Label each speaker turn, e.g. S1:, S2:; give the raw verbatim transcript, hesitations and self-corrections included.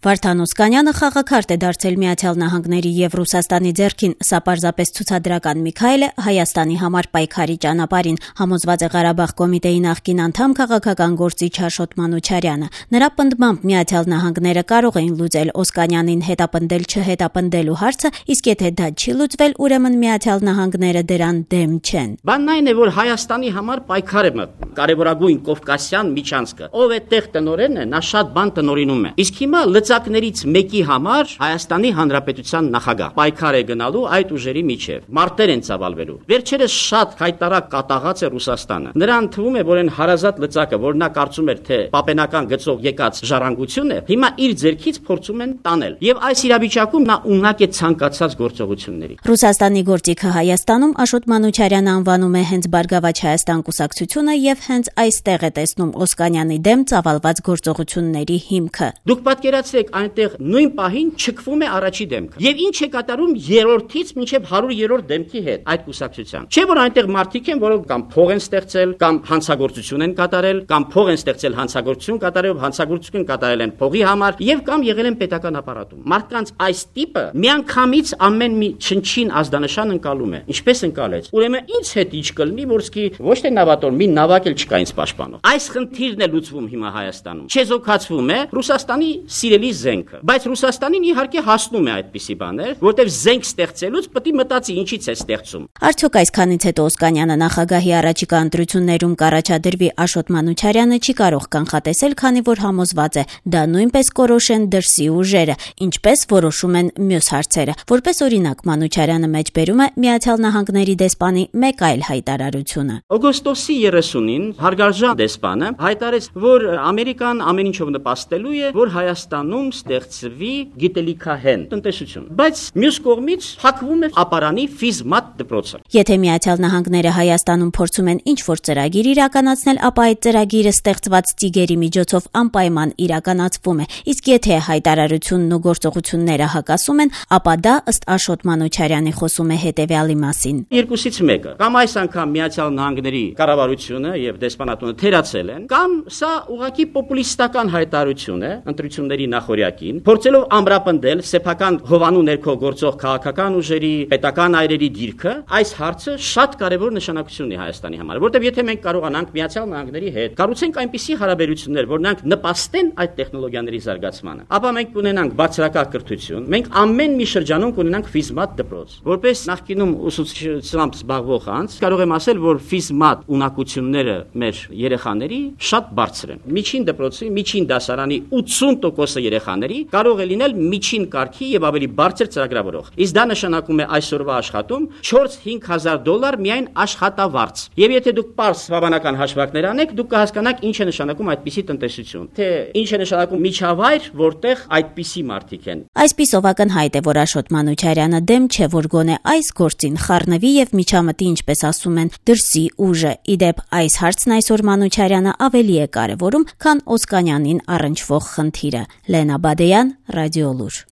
S1: Վարդան Օսկանյանը խաղաքարտ է դարձել Միացյալ Նահանգների եւ Ռուսաստանի ձեռքին, սա պարզապես ցուցադրական մի քայլ է Հայաստանի համար պայքարի ճանապարհին, համոզված է Ղարաբաղ կոմիտեի նախկին անդամ քաղաքական գործիչ Աշոտ Մանուչարյանը։ Նրա պնդմամբ Միացյալ Նահանգները կարող էին լուծել Օսկանյանին հետապնդել-չհետապնդելու հարցը, իսկ եթե դա չի լուծվել, ուրեմն Միացյալ Նահանգները դրան դեմ չեն։
S2: Բանն այն է, որ Հայաստանի համար պայքար է մտնում, կարևորագույն կովկասյան միջանցքը։ Ով է տեղ տնօրենն է, նա շատ բան տնօրինում է։ Իսկ հիմա լծակներից մեկի համար Հայաստանի Հանրապետության նախագահ պայքար է գնալու այդ ուժերի միջև։ Մարտեր են ծավալվելու։ Վերջերս շատ հայտարարակ կատաղած է Ռուսաստանը։ Նրան թվում է, որ այն հարազատ լծակը, որ նա կարծում էր, թե պապենական գծով եկած ժառանգություն է, հիմա իր ձեռքից փորձում են տանել։ Եվ այս իրավիճակում նա ունակ է ցանկացած գործողությունների։
S1: Ռուսաստանի գործիքը Հայաստանում Աշոտ Մանուչարյանը անվանում է հենց Բարգավաճ Հայաստան կուսակցությունը եւ հենց այստեղ է տեսնում Օսկանյանի դեմ ծավալված գործողությունների հիմքը։
S2: Դուք պատկերացրեք, այնտեղ նույն պահին չքվում է առաջի դեմքը։ Եվ ինչ է կատարում երրորդից մինչև հարյուրերորդ դեմքի հետ այդ կուսակցության։ Չէ՞ որ այնտեղ մարդիկ են, որոնք կամ փող են ստեղծել, կամ հանցագործություն են կատարել, կամ փող են ստեղծել հանցագործություն կատարելով, հանցագործություն կատարել են փողի համար եւ կամ եղել են պետական ապարատում։ Մարդկանց այս տիպը միանգամից ամեն մի չնչին ազդանշան ընկալում է։ Ինչպես ընկալեց։ Ուրեմն ինձ հետ ինչ կլինի, որ սկի ոչ թե նավատոր, մի նավակ էլ չկա ինձ պաշտպանող։ Այս խնդիրն է լուծվում հիմա Հայաստանում։ Չեզոքացվում է Ռուսաստանի սիրելի զենքը, բայց Ռուսաստանին իհարկե հասնում է այդպիսի բաներ, որտեղ զենք ստեղծելուց պետք է մտածի ինչից է ստեղծում։
S1: Արդյոք այսքանից հետո Օսկանյանը նախագահի առաջիկա ընտրություններում կառաջադրվի, Աշոտ Մանուչարյանը չի կարող կանխատեսել, քանի որ համոզված է, դա նույնպես կորոշեն դրսի ուժերը, ինչպես որոշում են մյուս հարցերը։ Որպես օրինակ, Մանուչարյանը մեջբերում է Միացյալ Նահանգների դեսպանի մեկ այլ հայտարարությունը։
S2: Օգոստոսի երեսունին հարգարժան դեսպանը հայտարարեց, որ Ամերիկան ամեն ինչով նպաստելու է, որ Հայաստանում ստեղծվի գիտելիքահեն տնտեսություն, բայց մյուս կողմից փակվում է ապարանի ֆիզմատ դպրոցը։
S1: Եթե Միացյալ Նահանգները Հայաստանում փորձում են ինչ-որ ծրագիր իրականացնել, ապա այդ ծրագիրը ստեղծված ծիգերի միջոցով անպայման իրականացվում է, իսկ եթե հայտարարությունն ու գործողությունները հակասում են, ապա դա ըստ Աշոտ Մանուչարյանի խոսում է հետևյալի մասին։
S2: Երկուսից մեկը, կամ այս անգամ Միացյալ Նահանգների կառավարությունը եւ դեսպանատունը թերացել են, կամ սա ուղղակի պոպուլիստական հայտարարություն է ընտրությունների նախօրյակին, փորձելով ամրապնդել սեփական հովանու ներքո գործող քաղաքական ուժերի, պետական այրերի դիրքը, այս հարցը շատ կարևոր նշանակություն ունի Հայաստանի համար, որտեղ եթե մենք կարողանանք Միացյալ Նահանգների հետ կառուցենք այնպիսի հարաբերություններ, որ նրանք նպաստեն այդ տեխնոլոգիաների զարգացմանը, ապա մենք կունենանք բարձրակարգ կրթություն, մենք ամեն մի շրջանում կունենանք ֆիզմատ դպրոց։ Որպես նախկինում ուսուցչությամբ զբաղվող անձ, կարող եմ ասել, որ ֆիզմատ ունակությունները մեր երեխաների շատ բարձր են։ Միջին դպրոցի, միջին դասարանի ութսուն տոկոսը երեխաների կարող է լինել միջին կարգի եւ ավելի բարձր ծրագրավորող։ Իսկ դա նշանակում է այսօրվա աշխատում չորս-հինգ հազար դոլար միայն աշխատավարձ։ Եվ եթե դուք պարզ հավանական հաշվարկներ անեք, դուք կհասկանաք ինչ է նշանակում այդպիսի տնտեսություն, թե ինչ է նշանակում միջավայր, որտեղ այդպիսի մարդիկ են։
S1: Այսպիսով ակնհայտ է, որ Աշոտ Մանուչարյանը դեմ չէ, որ գոնե այս գործին խառնվի եւ միջամտի, ինչպես ասում են, դրսի ուժը։ Իդեպ այս հարցն այսօր Մանուչարյանը ավելի է կարևորում, քան Օսկանյանին առնչվող խնդիրը։ Լենա Բադեյան, Ռադիոլուր։